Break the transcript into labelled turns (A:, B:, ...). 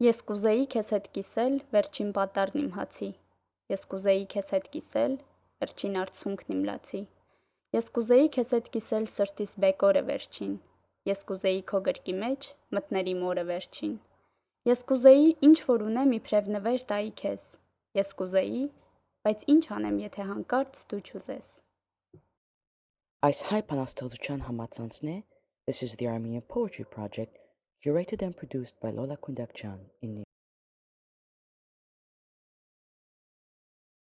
A: Ես կուզեի քեզ հետ կիսել վերջին պատառն իմ հացի, ես կուզեի քեզ հետ կիսել վերջին արցունքն իմ լացի, ես կուզեի քեզ հետ կիսել սրտիս բեկորը վերջին, ես կուզեի քո գրկի մեջ մտներ իմ օրը վերջին, ես կուզեի ինչ որ ունեմ իբրև նվեր տայի քեզ, ես կուզեի, բայց ինչ անեմ, եթե հանկարծ դու չուզես։
B: Այս հայ բանաստեղծության համացանցն է. This is the Armenian Poetry Project, curated and produced by Lola Kundakjan in New